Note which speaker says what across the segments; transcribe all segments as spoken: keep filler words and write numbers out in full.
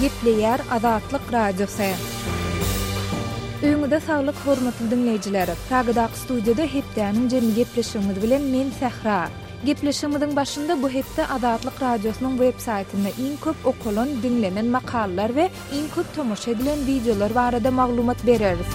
Speaker 1: Gepleýär Azatlyk Radiosy. Öýüňize saglyk hormatly diňleýjiler. Pragadaky studiýada hepdäniň jemi gepleşigimiz bilen men Sähra. Gepleşigimiziň başynda bu hepde Azatlyk Radiosynyň web saýtynda iň köp okalan, diňlenen makalalar we iň köp tomaşa edilen wideolar barada maglumat bereris.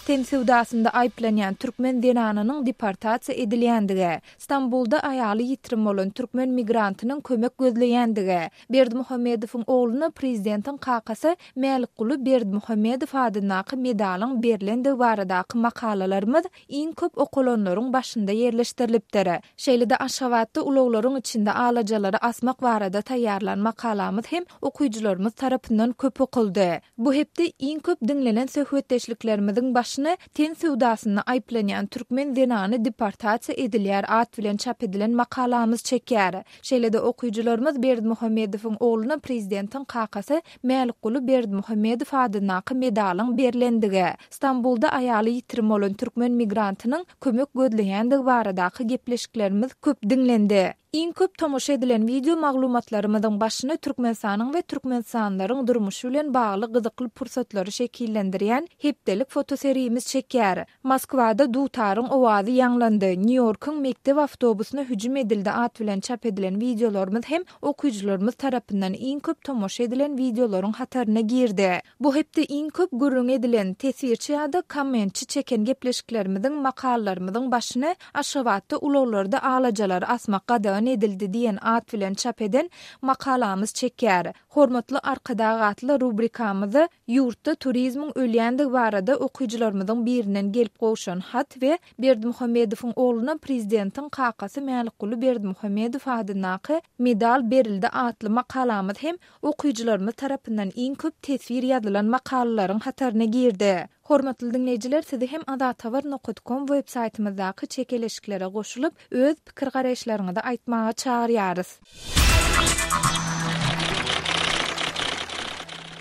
Speaker 1: Ten söwdasynda aýyplanýan türkmen zenanynyň deportasiýa edilýändigi, Stambulda aýaly ýitirim bolan türkmen migrantynyň kömek gözleýändigi, Berdimuhamedowyň ogluna prezidentiň kakasy Mälikguly Berdimuhamedow adyndaky medalyň berlendigi baradaky makalalarymyz iň köp okalanlaryň başynda ýerleşdirilipdir. Şeýle-de Aşgabatda ulaglaryň içinde alajalary asmak barada taýýarlan makalamyz hem okyjylarymyz tarapyndan köp okaldy. Bu hepde iň köp diňlenen söhbetdeşliklerimiziň başyny ten söwdasynda aýyplanýan türkmen zenany deportasiýa edilýär at bilen çap edilen makalamyz çekýär. Şeýle-de okyjylarymyz Berdimuhamedowyň ogluna prezidentiň kakasy Mälikguly Berdimuhamedow adyndaky medalyň berlendigi, Stambulda aýaly ýitirim bolan türkmen migrantynyň kömek gözleýändigi baradaky gepleşiklerimiz köp diňlendi. Iň köp tomaşa edilen wideo maglumatlarymyzyň başyny Türkmenistanyň we türkmenistanlylaryň durmuşy bilen bagly gyzykly pursatlary şekillendirýän hepdelik fotoserimiz çekýär. Moskwada dutaryň owazy ýaňlandy, Nýu-Ýorkuň mekdep awtobusyna hüjüm edildi at bilen çap edilen wideolarymyz hem okyjylarymyz tarapyndan iň köp tomaşa edilen wideolaryň hataryna girdi. Bu hepde iň köp gürrüň edilen, teswirçi ýa-da kommentçi çeken gepleşiklerimiziň, makalalarymyzyň başyny Aşgabatda ulaglarda alajalary asmak gadagan edildi diýen at bilen çap eden makalamyz çekýär. Hormatly Arkadag atly rubrikamyzda ýurtda turizmiň ölýändigi barada okyjylarymyzyň birinden gelip gowşan hat we Berdimuhamedowyň ogluna prezidentiň kakasy Mälikguly Berdimuhamedow adyndaky medal berildi atly makalamyz hem okyjylarymyz tarapyndan iň köp teswir ýazylan makalalaryň hataryna girdi. Hormatly diňleýjiler, sizi hem azathabar nokat kom web saýtymyzdaky çekeleşiklere goşulyp, öz pikir-garaýyşlaryňyzy aýtmaga çagyrýarys.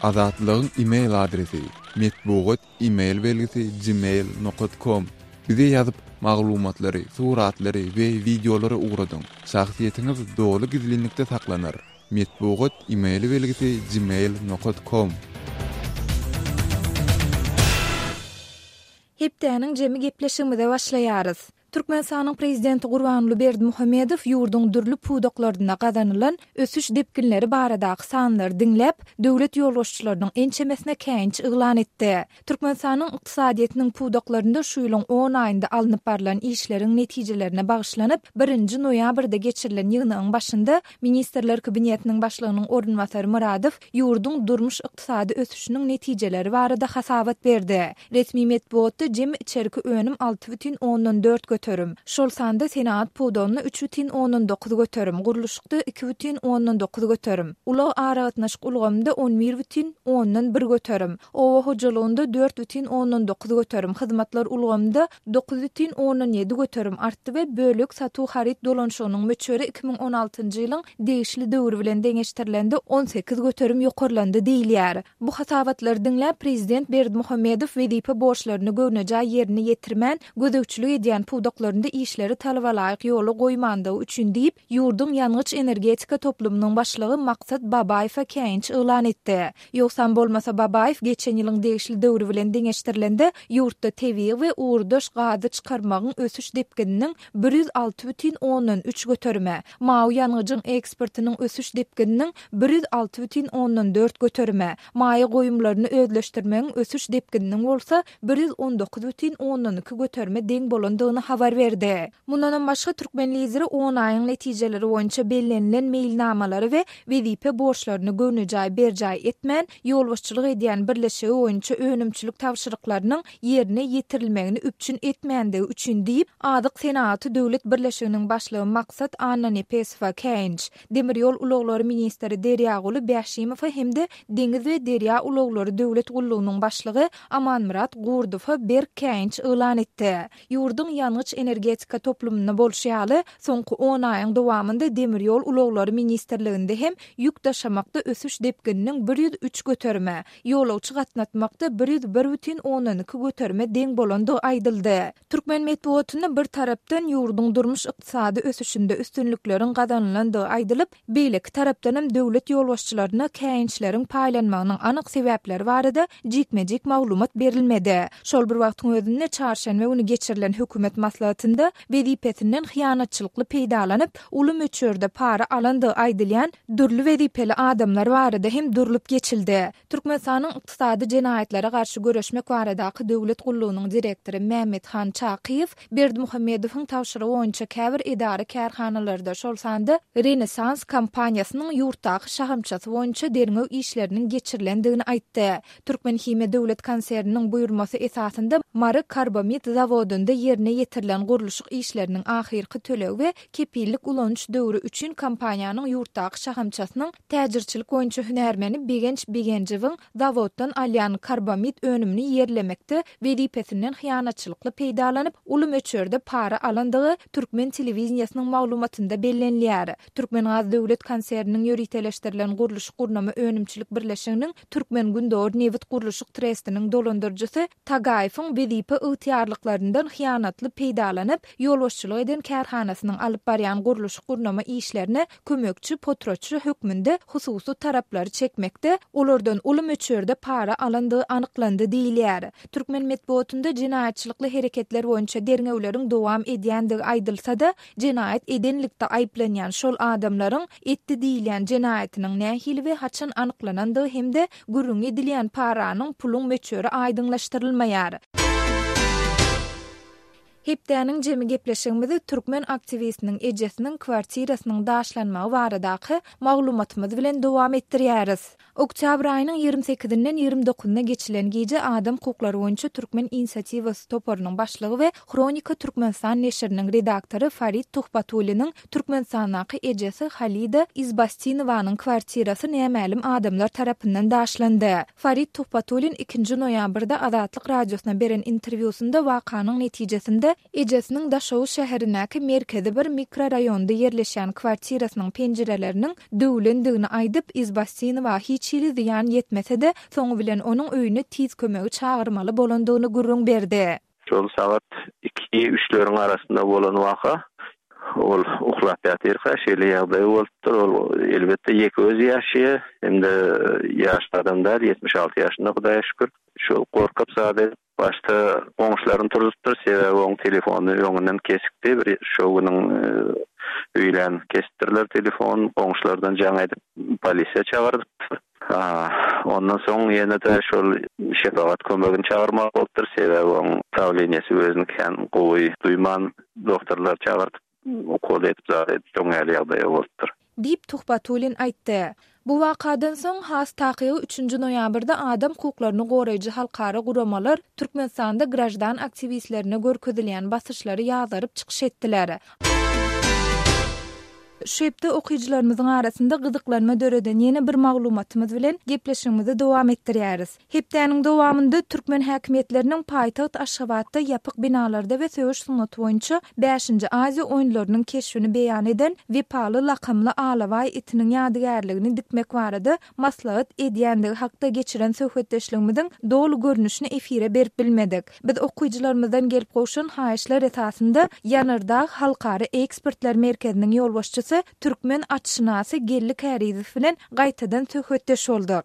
Speaker 2: Azatlygyň e-mail adresi metbugat e-mail belgisi gmail nokat com. Bize ýazyp, maglumatlary, suratlary we wideolary ugradyň. Şahsyýetiňiz doly gizlinlikde saklanar. Metbugat e-mail belgisi gmail nokat com.
Speaker 1: Hepdäniň jemi gepleşigimize başlaýarys. Türkmenistanyň prezidenti Gurbanguly Berdimuhamedow ýurduň dürli pudaklarynda gazanylan ösüş depginleri baradaky sanlary diňläp, döwlet ýolbaşçylarynyň ençemesine käýinç yglan etdi. Türkmenistanyň ykdysadyýetiniň pudaklarynda şu ýylyň on aýynda alnyp barlan işleriň netijelerine bagyşlanyp, birinji noýabrda geçirilen ýygnagyň başynda Ministrler Kabinetiniň başlygynyň orunbasary Myradow ýurduň durmuş-ykdysady ösüşiniň netijeleri barada hasabat berdi. Resmi metbugatda jemi içerki önüm alty bütin ondan dört göterim, şol sanda senagat pudagynda üç bütin ondan dokuz göterim, gurluşykda iki bütin ondan dokuz göterim, ulag aragatnaşyk ulgamynda on bir bütin ondan bir göterim, oba hojalygynda dört bütin ondan dokuz göterim, hyzmatlar ulgamynda dokuz bütin ondan ýedi göterim artdy we bölek satuw haryt dolanyşygynyň möçberi iki müň on altynjy ýylyň degişli döwri bilen deňeşdirilende on sekiz göterim ýokarlandy diýilýär. Bu hasabatlary diňläp prezident Berdimuhamedow wezipe borçlaryny göwnejaý ýerine ýetirmän, gözegçilik edýän pudaklarynda işleri talabalaýyk ýola goýmandygy üçin diýip, ýurduň ýangyç-energetika toplumynyň başlygy Maksat Babaýewe käýinç yglan etdi. Ýogsam bolmasa Babaýew geçen ýylyň degişli döwri bilen deňeşdirilende ýurtda tebigy we ugurdaş gazy çykarmagyň ösüş depgininiň bir ýüz alty bütin ondan üç göterime, mawy ýangyjyň eksportynyň ösüş depgininiň bir ýüz alty bütin ondan dört göterime, maýa goýumlaryny özleşdirmegiň ösüş depgininiň bolsa bir ýüz on dokuz bütin ondan iki göterime deň bolandygyny habar berdi. Mundanam başga türkmen lideri on aýyň netijeleri boýunça bellenilen meýilnamalary we wezipe borçlaryny göwnejaý berjaý etmän, ýolbaşçylyk edýän birleşigi boýunça önümçilik tabşyryklarynyň ýerine ýetirilmegini üpjün etmändigi üçin diýip, Azyk senagaty döwlet birleşiginiň başlygy Maksat Annanepesowa käýinç, Demir ýol ulaglary ministri Derýaguly Bäşimowa hem-de Deňiz we derýa ulaglary döwlet gullugynyň başlygy Amanmyrat Gurdowa berk käýinç yglan etdi. Ýurduň ýangyç ýangyç-energetika toplumynda bolşy ýaly, soňky on aýyň dowamynda demir ýol ulaglary ministrliginde hem ýük daşamakda ösüş depgininiň bir ýüz üç göterime, ýolagçy gatnatmakda bir ýüz bir bütin ondan iki göterime deň bolandygy aýdyldy. Türkmen metbugatynda bir tarapdan ýurduň durmuş ykdysady ösüşinde üstünlikleriň gazanylandygy aýdylyp, beýleki tarapdan hem döwlet ýolbaşçylaryna käýinçleriň paýlanmagynyň anyk sebäpleri barada jikme-jik maglumat berilmedi. Şol bir wagtyň özünde çarşenbe güni geçirilen hökümet maslahatynda wezipesinden hyýanatçylykly peýdalanyp, uly möçberde para alandygy aýdylýan dürli wezipeli adamlar barada hem durlup geçildi. Türkmenistanyň ykdysady jenaýatlara garşy göreşmek baradaky döwlet gullugynyň direktory Mehmethan Çakyýew Berdimuhamedowyň tabşyrygy boýunça käbir edara kärhanalarda, şol sanda Renesans kompaniýasynyň ýurtdaky şahamçasy boýunça derňew işleriniň geçirilendigini aýtdy. Türkmen Himiýa döwlet konserniniň buýurmasy esasynda Mary karbamid zawodynda ýerine ýetirilen gurluşyk işleriniň ahyrky tölegi we kepillik ulanyş döwri üçin kompaniýanyň ýurtdaky şahamçasynyň täjirçilik boýunça hünärmeni Begenç Begenjewiň zawoddan alýan karbamid önümini ýerlemekde wezipesinden hyýanatçylykly peýdalanyp, uly möçberde para alandygy Türkmen telewizýasynyň maglumatynda bellenilýär. Türkmengaz döwlet konserniniň ýöriteleşdirilen gurluşyk gurnama önümçilik birleşiginiň Türkmen Gündogar nebit gurluşyk trestiniň dolandyryjysy Tagaýewiň wezipe ygtyýarlyklaryndan hyýanatly peýdalanyp, ýolbaşçylyk eden kärhanasynyň alyp barýan gurluşyk gurnama işlerine kömekçi potratçy hökmünde hususy taraplary çekmekde olardan uly möçberde para alandygy anyklandy diýilýär. Türkmen metbugatynda jenaýatçylykly hereketler boýunça derňewleriň dowam edýändigi aýdylsa-da, jenaýat edenlikde aýyplanýan şol adamlaryň etdi diýilýän jenaýatynyň nähili we haçan anyklanandygy hem-de gürrüň edilýän paranyň puluň möçberi aýdyňlaşdyrylmaýar. Hepdäniň jemi gepleşigimizi türkmen aktiwistiniň ejesiniň kwartirasynyň daşlanmagy baradaky maglumatymyz bilen dowam etdirýäris. Oktýabr aýynyň ýigrimi sekizinden ýigrimi dokuzyna geçilen gije adam hukuklary boýunça Türkmen inisiatiwasy toparynyň başlygy we Hronika Türkmenistan neşiriniň redaktory Farid Tuhbatulliniň Türkmenistandaky ejesi Halida Izbastinowanyň kwartirasy nämälim adamlar tarapyndan daşlandy. Farid Tuhbatullin ikinji noýabrda Azatlyk radiosyna beren interwýusynda wakanyň netijesinde ejesiniň Daşoguz şäherindäki merkezi bir mikrorayonda ýerleşen kwartirasynyň penjireleriniň döwlendigini aýdyp, Izbastinowa hiç hili zyýan ýetmese-de, soňy bilen onuň öýüne tiz kömegi çagyrmaly bolandygyny gürrüň berdi.
Speaker 3: Şol sagat iki üçleriň arasynda bolan waka, ol uhlap ýatyrka şeýle ýagdaý bolupdyr. Ol elbetde ýeke özi ýaşaýar, hem-de ýaş adam däl, ýetmiş alty ýaşynda Hudaýa şükür. Şol gorkup zat edip, başda goňşularyny turuzupdyr, sebäbi onuň telefony öňünden kesikdi. Bir şo günüň, e, öýlän kesipdirler telefon, goňşulardan jaň edip polisiýa çagyrdypdyr. Ha, ondan soň ýene-de şol şepagat kömegini çagyrmaly bolupdyr, sebäbi onuň dawleniýesi özüni kän gowy duýman doktorlar çagyrdyp, ukol edip zat edip, şoň ýaly ýagdaýa bolupdyr.
Speaker 1: Diýip Tuhbatullin aýtdy. Bu wakadan soň has takygy üçünji noýabrda adam hukuklaryny goraýjy halkara guramalar Türkmenistanda grajdan aktiwistlerine görkezilýän basyşlary ýazaryp çykyş etdiler. Şu hepde okyjylarymyzyň arasynda gyzyklanma döreden ýene bir maglumatymyz bilen gepleşigimizi dowam etdirýäris. Hepdäniň dowamynda türkmen häkimiýetleriniň paýtagt Aşgabatda ýapyk binalarda we söweş sungaty boýunça bäşinji Aziýa oýunlarynyň keşbini beýan eden Wepaly lakamly alabaý itiniň ýadygärligini dikmek barada maslahat edýändigi hakda geçiren söhbetdeşligimiziň doly görnüşini efire berip bilmedik. Biz okyjylarymyzdan gelip gowşan haýyşlar esasynda Ýanardag Halkara Ekspertler Merkeziniň ýolbaşçysy türkmen atşynasy Geldi Kärizow bilen gaýtadan söhbetdeş bolduk.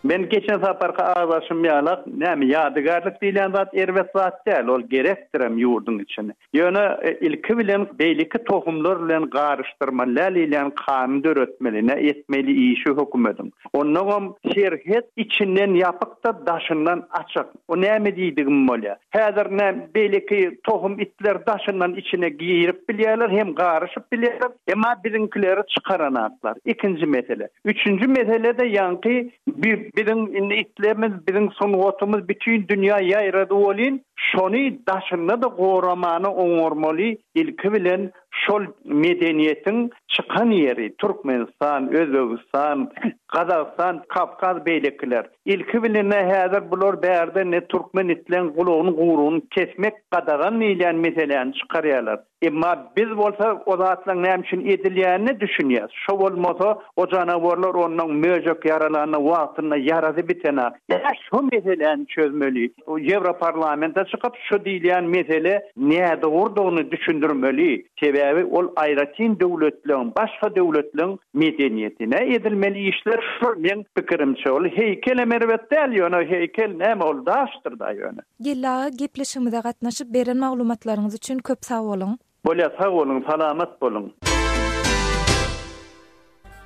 Speaker 4: Men geçen saparky agzaşym ýalak, näme ýadygärlik diýlen zat erbet zat däl, ol gerekdirem ýurduň içine. Ýöne, e, ilki bilen beýleki tohumlar bilen garyşdyrmaly diýlen kanun döretmeli, ne etmeli işi hökümediň. Onnoňam serhet içinden ýapyk da daşyndan açyk. O näme diýdigim bolýar. Häzir näme beýleki tohum itler daşyndan içine girip bilýärler, hem garyşyp bilýärler, emma biziňkileri çykaranaklar. Ikinji mesele. Üçünji mesele de ýaňky bi-, biziň indi itlerimiz, biziň sungatymyz bütün dünýä ýaýrady bolin, şony daşynda da goramany oňormaly, ilki bilen Şol medeniýetiň çykan ýeri Türkmenistan, Özbegistan, Gazagystan, Kafkaz beýlekiler. Ilki bilen häzir bular bärde ne türkmen itleň gulagyny guruny kesmek gadagan diýilýän meseläni çykarýarlar. Emma biz bolsa o zatlaryň näme üçin edilýänini düşünýäs. Şo bolmasa o janawarlar ondan möjek ýaralanyna wagtynda ýarasy bitena. Ýa şu meseläni çözmeli. Ýewroparlamentde çykyp şu diýilýän mesele nädogrudygyny düşündirmeli. Sebäbi ol aýratyn döwletleriň, başga döwletleriň medeniýetine edilmeli işler şu men pikirimçe ol heýkel erbet däl ýöne heýkel näme ol daşdyr da ýöne.
Speaker 1: Geldi aga gepleşigimize gatnaşyp beren maglumatlaryňyz üçin köp sag boluň.
Speaker 4: Bolýa sag boluň, salamat boluň.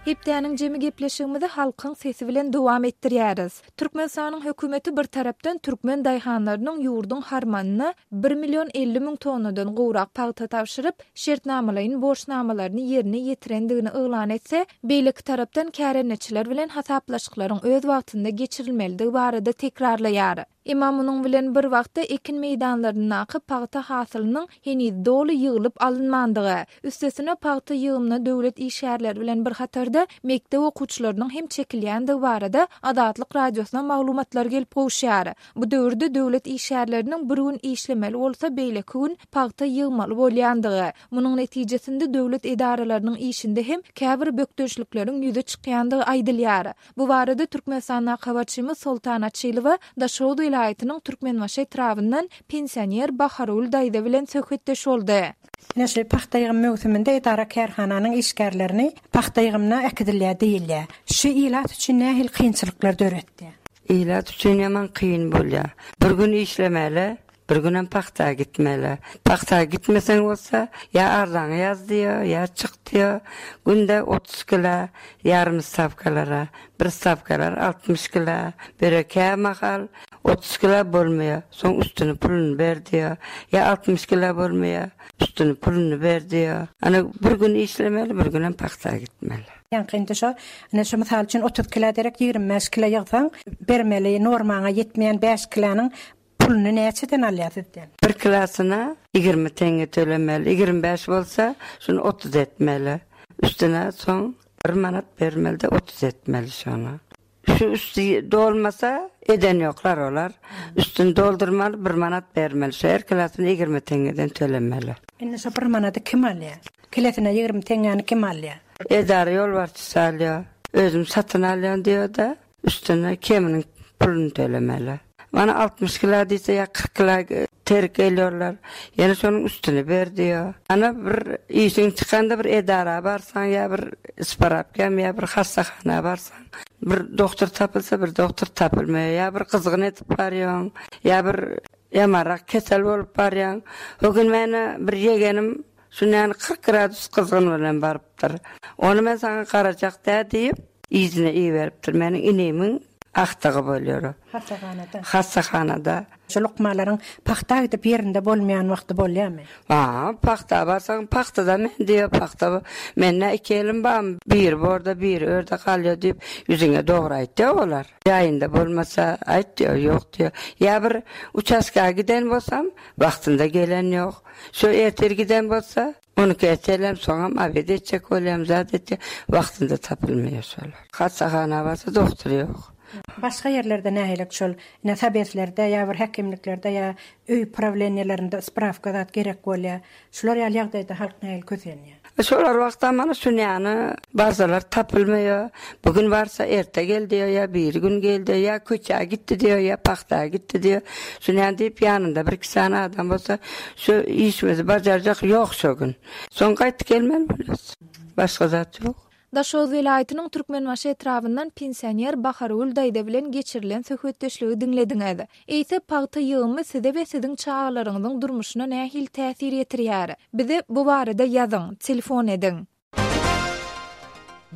Speaker 1: Hepdäniň jemi gepleşigimizi halkyň sesi bilen dowam etdirýäris. Türkmenistanyň hökümeti bir tarapdan türkmen daýhanlarynyň ýurduň harmanyna bir million elli müň tonnadan gowrak pagta tabşyryp, şertnamalaýyn borçnamalaryny ýerine ýetirendigini yglan etse, beýleki tarapdan kärendeçiler bilen hasaplaşyklaryň öz wagtynda geçirilmelidigi barada tekrarlaýar. Emma munuň bilen bir wagtda ekin meýdanlaryndaky pagta hasylynyň heniz doly ýygylyp alynmandygy, üstesine pagta ýygymyna döwlet işgärleri bilen bir hatarda mekdep okuwçylarynyň hem çekilýändigi barada Azatlyk radiosyna maglumatlar gelip gowuşýar. Bu döwürde döwlet işgärleriniň bir gün işlemeli bolsa beýleki gün pagta ýygmaly bolýandygy, munuň netijesinde döwlet edaralarynyň işinde hem käbir bökdençlikleriň ýüze çykýandygy aýdylýar. Bu barada Türkmenistandaky habarçymyz Soltan Açylowa Daşoguz welaýatynyň Türkmenbaşy etrabyndan pensioner Bahargül daýza bilen söhbetdeş boldy.
Speaker 5: Ine şu pagta ýygym möwsüminde edara kärhananyň işgärlerini pagta ýygymyna äkidilýär diýilýär. Şu ilat üçin nähili kynçylyklar döretdi?
Speaker 6: Ilat üçin ýaman kyn bolýar. Bir gün işlemeli, bir gün hem pagta gitmeli. Pagta gitmesen bolsa ýa arzaňy ýaz diýär, ýa çyk diýär. Günde otuz kilo ýarym stawkalara, bir stawkalar altmyş kilo, bereke mahal otuz kilo bolmaýar. Soň üstüni puluny ber diýär. Ýa altmyş kilo bolmaýar, üstüni puluny ber diýär. Ana bir gün işlemeli, bir gün hem pagta gitmeli.
Speaker 5: Ýaňky indi şo, ine şu mysal üçin otuz kilo derek ýigrimi bäş kilo ýygsaň, bermeli normaňa ýetmeýän bäş kilonyň puluny näçeden alýar sizden?
Speaker 6: Bir kilosyna ýigrimi tenge tölemeli, ýigrimi bäş bolsa şunu otuz etmeli. Üstüne soň bir manat bermeli de otuz etmeli şonu. Şu üstü dolmasa eden ýoklar olar. Üstünü doldurmaly, bir manat bermeli. Şu her kilosyny ýigrimi tengeden tölemeli.
Speaker 5: Indi şu bir manady kim alýar? Kilosuna ýigrimi tengeni kim alýar?
Speaker 6: Edara ýolbaşçysy alýar. Özüm satyn alýan diýär da, üstüne keminiň puluny tölemeli. Bana altmyş kilo diýse ýa kyrk kilo terk ediyorlar. Ýene şonuň üstüne ber diýär. Ana bir işiň çykanda bir edara barsaň ýa bir isparapkam ýa bir hassahana barsaň, bir doktor tapylsa bir doktor tapylmaýar. Ýa bir gyzgyn edip barýaň, ýa bir ýamarak kesel bolup barýaň. O gün meni bir ýegenim şundan kyrk gradus gyzgyn bilen barypdyr. Ony men saňa garajak dä diýip, izine iberipdir. Meniň inemiň ahtagy bolýar.
Speaker 5: Hassahanada.
Speaker 6: Hassahanada.
Speaker 5: Şu lukmalaryň pagta gidip ýerinde bolmaýan wagty bolýarmy?
Speaker 6: Ha, pagta barsaň, pagtada men diýip, pagta men näme iki elim bar, biri borda, biri örde galýar diýip, ýüzüňe dogry aýtýar olar. Ýaýynda bolmasa aýt diýär, ýok diýär. Ýa bir uçaska giden bolsam, wagtynda gelen ýok. Şu ertir giden bolsa, on iki ertelem, soňam abed etjek bolýam, zat etjek, wagtynda tapylmaýar şolar. Hassahana barsa doktor ýok.
Speaker 5: Başga ýerlerde nähili şol, ine sobeslerde ýa bir häkimliklerde ýa öý prawleniýalarynda spravka zat gerek bolýar. Şular ýaly ýagdaýda halk nähili kösenýär?
Speaker 6: Şolar wagtda mana şunýany barsalar tapylmaýar. Bugün barsa erte gel diýär, ýa bir gün gel diýär, ýa köçä gitdi diýär, ýa pagta gitdi diýär. Şunýany diýip ýanynda bir iki sany adam bolsa, şu işimizi bajarjak ýok şo gün. Soň gaýtyp gelmeli bolýar. Başga zat ýok.
Speaker 1: Daşoguz welaýatynyň Türkmenbaşy etrabyndan pensioner Bahargül daýza bilen geçirilen söhbetdeşligi diňlediňiz. Eýse pagta ýygymy size we siziň çagalaryňyzyň durmuşyna nähili täsir ýetirýär? Bize bu barada ýazyň, telefon ediň.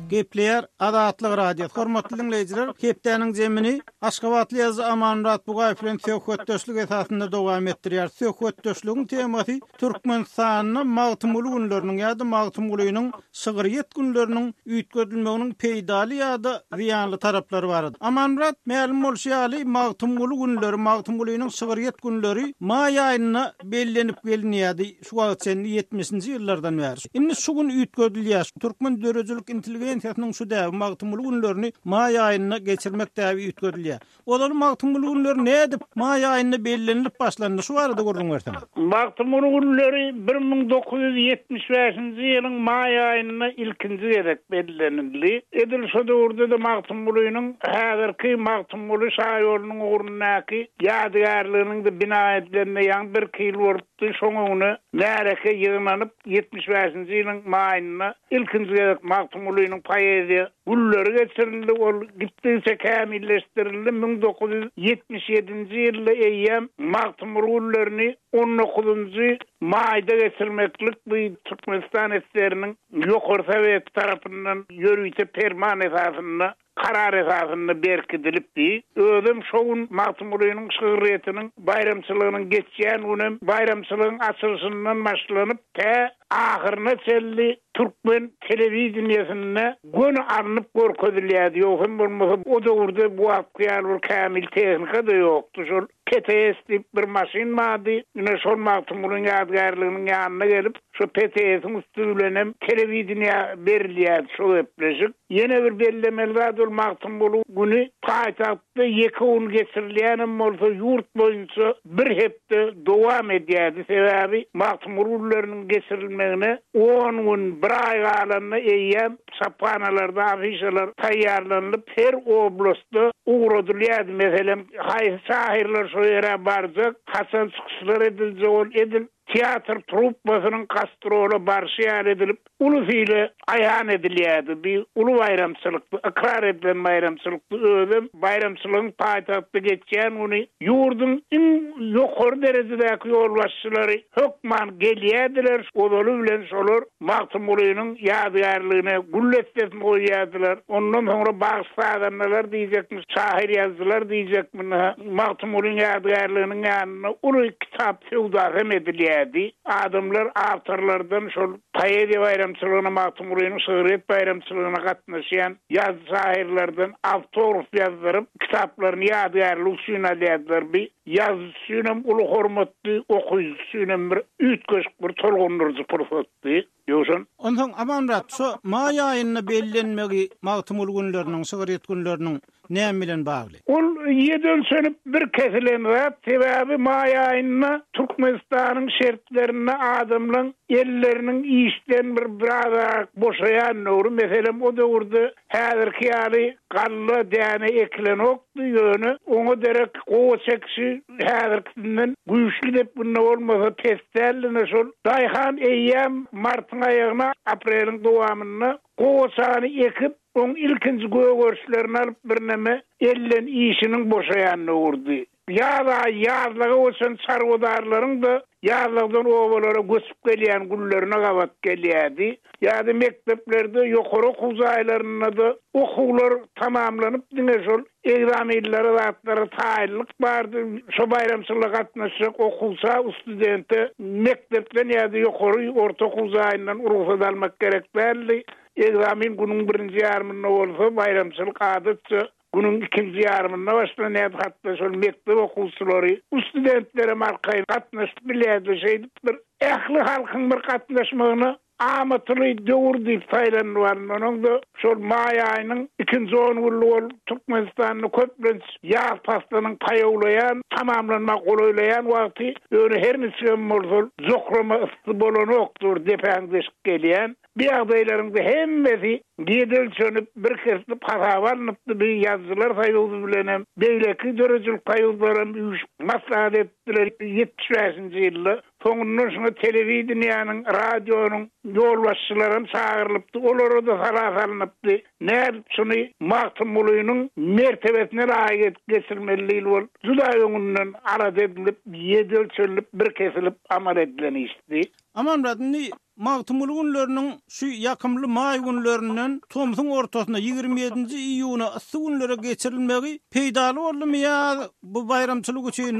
Speaker 7: Gepleýär Azatlyk Radiosy. Hormatly diňleýjiler, hepdäniň zemini Aşgabatly ýazyjy Amanmyrat Bugaýew bilen söhbetdeşlik esasynda dowam etdirýär. Söhbetdeşligiň temasy Türkmenistanda Magtymguly günleriniň ýa-da Magtymgulynyň şygryýet günleriniň üýtgedilmeginiň peýdaly ýa-da zyýanly taraplary barada. Amanmyrat, mälim bolşy ýaly, Magtymguly günleri, Magtymgulynyň şygryýet günleri maý aýynda bellenip gelinýärdi şu wagt çenli ýetmişinji ýyllardan bäri. Indi şu gün üýtgedilýär. Türkmen döredijilik intelligensiýasynyň şu däbi Magtymguly günlerini maý aýynda geçirmek däbi üýtgedilýär. Ozal Magtymguly günleri nädip maý aýynda bellenilip başlandy? Şu barada gürrüň berseňiz.
Speaker 8: Magtymguly günleri bir müň dokuz ýüz ýetmiş bäşinji ýylyň maý aýynda ilkinji gezek bellenildi. Edil şo döwürde-de Magtymgulynyň häzirki Magtymguly şaýolunyň ugrundaky ýadygärliginiň-de bina edilenine ýaňy bir iki ýyl bolupdy. Şoň öňüne märeke ýygnanyp ýetmiş bäşinji ýylyň maýynda ilkinji gezek Magtymgulynyň poeziýa günleri geçirildi. Ol gitdigiçe kämilleşdirildi. Müň dokuz ýüz ýetmiş ýedinji ýylda eýýäm Magtymguly günlerini on dokuzunjy maýda geçirmeklik bu Türkmenistan esgeriniň ýokary sowet tarapyndan ýörite perman esasynda karar esasynda berkidilipdi. Özüm şo gün Magtymgulynyň şygryýetiniň baýramçylygynyň geçýän günem baýramçylygyň açylyşyndan başlanyp tä ahyryna çenli türkmen telewideniýesinde göni alnyp görkezilýärdi. Ýok hem bolmasa o döwürde bu wagtky ýaly bir kämil tehnika da ýokdy. Şol P T S diýip bir maşyn bardy. Ine şol Magtymgulynyň ýadygärliginiň ýanyna gelip, şo P T S-iň üstü bilen hem telewideniýä berilýärdi şo gepleşik. Ýene bir bellemeli zat ol Magtymguly güni paýtagtda ýeke gün geçirilýänem bolsa ýurt boýunça bir hepde dowam edýärdi. Sebäbi Magtymguly günleriniň geçirilmegine on gün bir aý galanda eýýäm çaphanalarda afişalar taýýarlanyp her oblastda ugradylýardy. Meselem, haýsy şahyrlar şo ýere barjak, haçan çykyşlar ediljek ol edil teatr truppasynyň gastrola barşy ýaly edilip, ulusile aýan edilýärdi. Bir ulu baýramçylykdy, ykrar edilen baýramçylykdy. Özem baýramçylygyň paýtagtda geçýän güni ýurduň iň ýokary derejedäki ýolbaşçylary hökman gelýärdiler. Ozaly bilen şolar Magtymgulynyň ýadygärligine gül dessesini goýýardylar. Ondan soňra bagşy-sazandalar diýjekmiş, şahyr ýazyjylar diýjekmiş. Magtymgulynyň ýadygärliginiň ýanynda uly kitap söwdasy hem edilýärdi. Adamlar awtorlardan şol poeziýa baýramçylygyna, Magtymgulynyň şygryýet baýramçylygyna gatnaşýan ýazyjy şahyrlardan awtograf ýazdyryp, kitaplaryny ýadygärlik üçin alýardylar. Bir ýazyjy üçin hem uly hormatly, okyjy üçin hem bir üýtgeşik bir tolgundyryjy pursatdy. Ýowşan.
Speaker 7: Onsoň Amanmyrat, şu maý aýynda bellenmegi Magtymguly günleriniň, şygryýet günleriniň näme bilen bagly?
Speaker 8: Ol ýedi ölçenip bir kesilen zat, sebäbi maý aýynda Türkmenistanyň şertlerinde adamlaryň elleriniň işden bir biraz boşaýan döwri, meselem o döwürde häzirki ýaly galla däne ekilenokdy, ýöne oňa derek gowa çekişi häzirkisinden güýçli depginde bolmasa pes däldi. Şol daýhan eýýäm martyň aýagyna, apreliň dowamynda gowaçany ekip, oň ilkinji gögerişlerini alyp birneme elden işiniň boşaýan döwürdi. Ýaz aýy ýazlaga göçen çarwadarlaryň da ýazlagdan obalara göçüp gelýän günlerine gabat gelýärdi. Ýa-da mekdeplerde, ýokary okuw jaýlarynda da okuwlar tamamlanyp diňe şol egzaminlere zatlara taýynlyk bardy. Şo baýramçylyga gatnaşjak okuwça, studente mekdepden ýa-da ýokary orta okuw jaýyndan rugsat almak gerek däldi. Egzamin günüň birinji ýarymynda bolsa baýramçylyk adatça günüň ikinji ýarymynda başlanýardy. Hatda şol mekdep okuwçylary, studentlere markaýyn gatnaşyp bilýärdi. Şeýdip bir ähli halkyň bir gatnaşmagyna amatyly döwür diýip saýlandy baryn. Onuň da şol maý aýynyň ikinji on günlügi ol Türkmenistanda köplenç ýaz paslynyň paýawlaýan, tamamlanmak golaýlaýan wagty, ýöne her niçigem bolsa jokrama ysy bolanokdyr, depäň deşik gelýän. Bir ýagdaýlaryň da hemmesi ýedi ölçenip, bir kesilip hasaba alnypdy. Bir ýazyjylar soýuzy bilen hem, beýleki döredijilik soýuzlary hem üýşüp maslahat etdiler ýetmiş bäşinji ýylda. Soňundan şoňa telewideniýäniň, radionyň ýolbaşçylary hem çagyrylypdy, olara da sala salynypdy. Nädip şuny Magtymgulynyň mertebesine laýyk edip geçirmeli diýil bol. Juda öňünden alada edilip, ýedi ölçenilip, bir kesilip amal edilen işdi.
Speaker 7: Amanmyrat, indi Magtymguly günleriniň şu ýakymly maý günlerinden tomsuň ortasyna ýigrimi ýedinji iýuna yssy günlere geçirilmegi peýdaly boldumy ýa bu baýramçylyk üçin